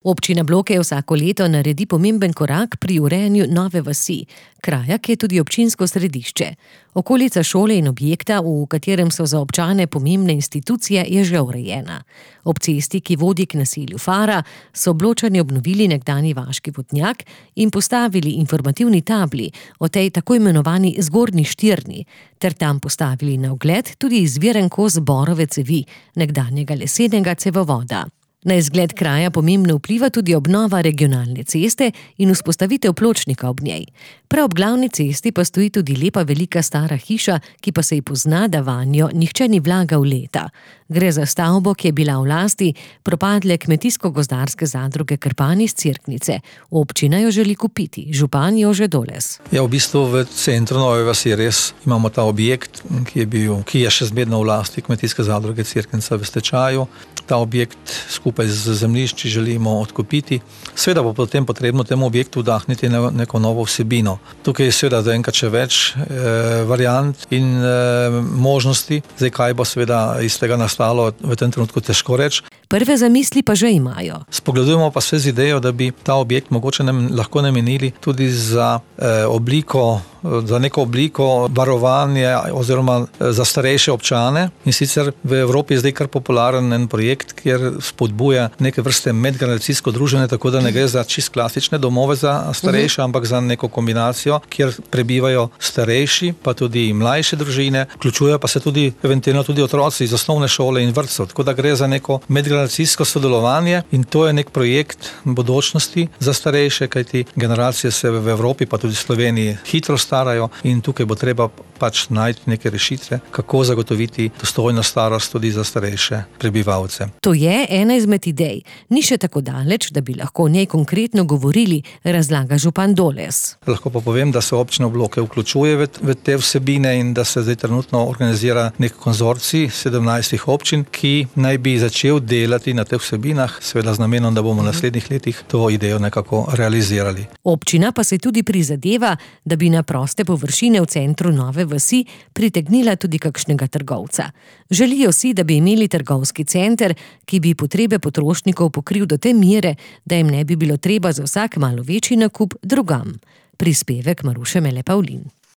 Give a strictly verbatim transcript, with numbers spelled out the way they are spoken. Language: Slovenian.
Občina Bloke vsako leto naredi pomemben korak pri urejanju nove vasi, kraja, ki je tudi občinsko središče. Okolica šole in objekta, v katerem so za občane pomembne institucije, je že urejena. Ob cesti, ki vodi k naselju Fara, so Bločani obnovili nekdanji vaški vodnjak in postavili informativni tabli o tej tako imenovani zgornji štirni, ter tam postavili na ogled tudi izviren kos borove cevi, nekdanjega lesenega cevovoda. Na izgled kraja pomembno vpliva tudi obnova regionalne ceste in vzpostavitev pločnika ob njej. Prav ob glavni cesti pa stoji tudi lepa velika stara hiša, ki pa se ji pozna, da vanjo nihče ni vlagal leta. Gre za stavbo, ki je bila v lasti propadle kmetijsko-gozdarske zadruge Krpan iz Cerknice. Občina jo želi kupiti, župan Jože Doles. Ja, v bistvu v centru Nove vasi res imamo ta objekt, ki je bil, ki je še zmerno v lasti kmetijske zadruge Cerknica v stečaju. Ta objekt skupaj z zemljišči želimo odkupiti. Seveda bo potem potrebno temu objektu vdahniti neko novo vsebino. Tukaj je seveda zaenkrat še več eh, variant in eh, možnosti. Zdaj, kaj bo seveda iz tega nastalo, v tem trenutku težko reči. Prve zamisli pa že imajo. Spogledujemo pa se z idejo, da bi ta objekt mogoče nam lahko namenili tudi za eh, obliko, za neko obliko varovanja oziroma za starejše občane. In sicer v Evropi je zdaj kar popularen en projekt, kjer spodbuja neke vrste medgeneracijsko druženje, tako da ne gre za čist klasične domove za starejše, ampak za neko kombinacijo, kjer prebivajo starejši, pa tudi mlajše družine, vključujejo pa se tudi eventualno tudi otroci iz osnovne šole in vrtcev. Tako da gre za neko medgeneracijsko sodelovanje in to je nek projekt bodočnosti za starejše, kajti generacije se v Evropi, pa tudi v Sloveniji hitro starajo in tukaj bo treba pač najti neke rešitve, kako zagotoviti dostojno starost tudi za starejše prebivalce. To je ena izmed idej. Ni še tako daleč, da bi lahko o njej konkretno govorili, razlaga župan Doles. Lahko pa povem, da se občina Bloke vključuje v, v te vsebine in da se zdaj trenutno organizira nek konzorcij sedemnajstih občin, ki naj bi začel delati na teh vsebinah, seveda z namenom, da bomo v naslednjih letih to idejo nekako realizirali. Občina pa se tudi prizadeva, da bi na proste površine v centru Nove vasi pritegnila tudi kakšnega trgovca. Želijo si, da bi imeli trgovski center, ki bi potrebe potrošnikov pokril do te mere, da jim ne bi bilo treba za vsak malo večji nakup drugam. Prispevek Maruše Mele Pavlin.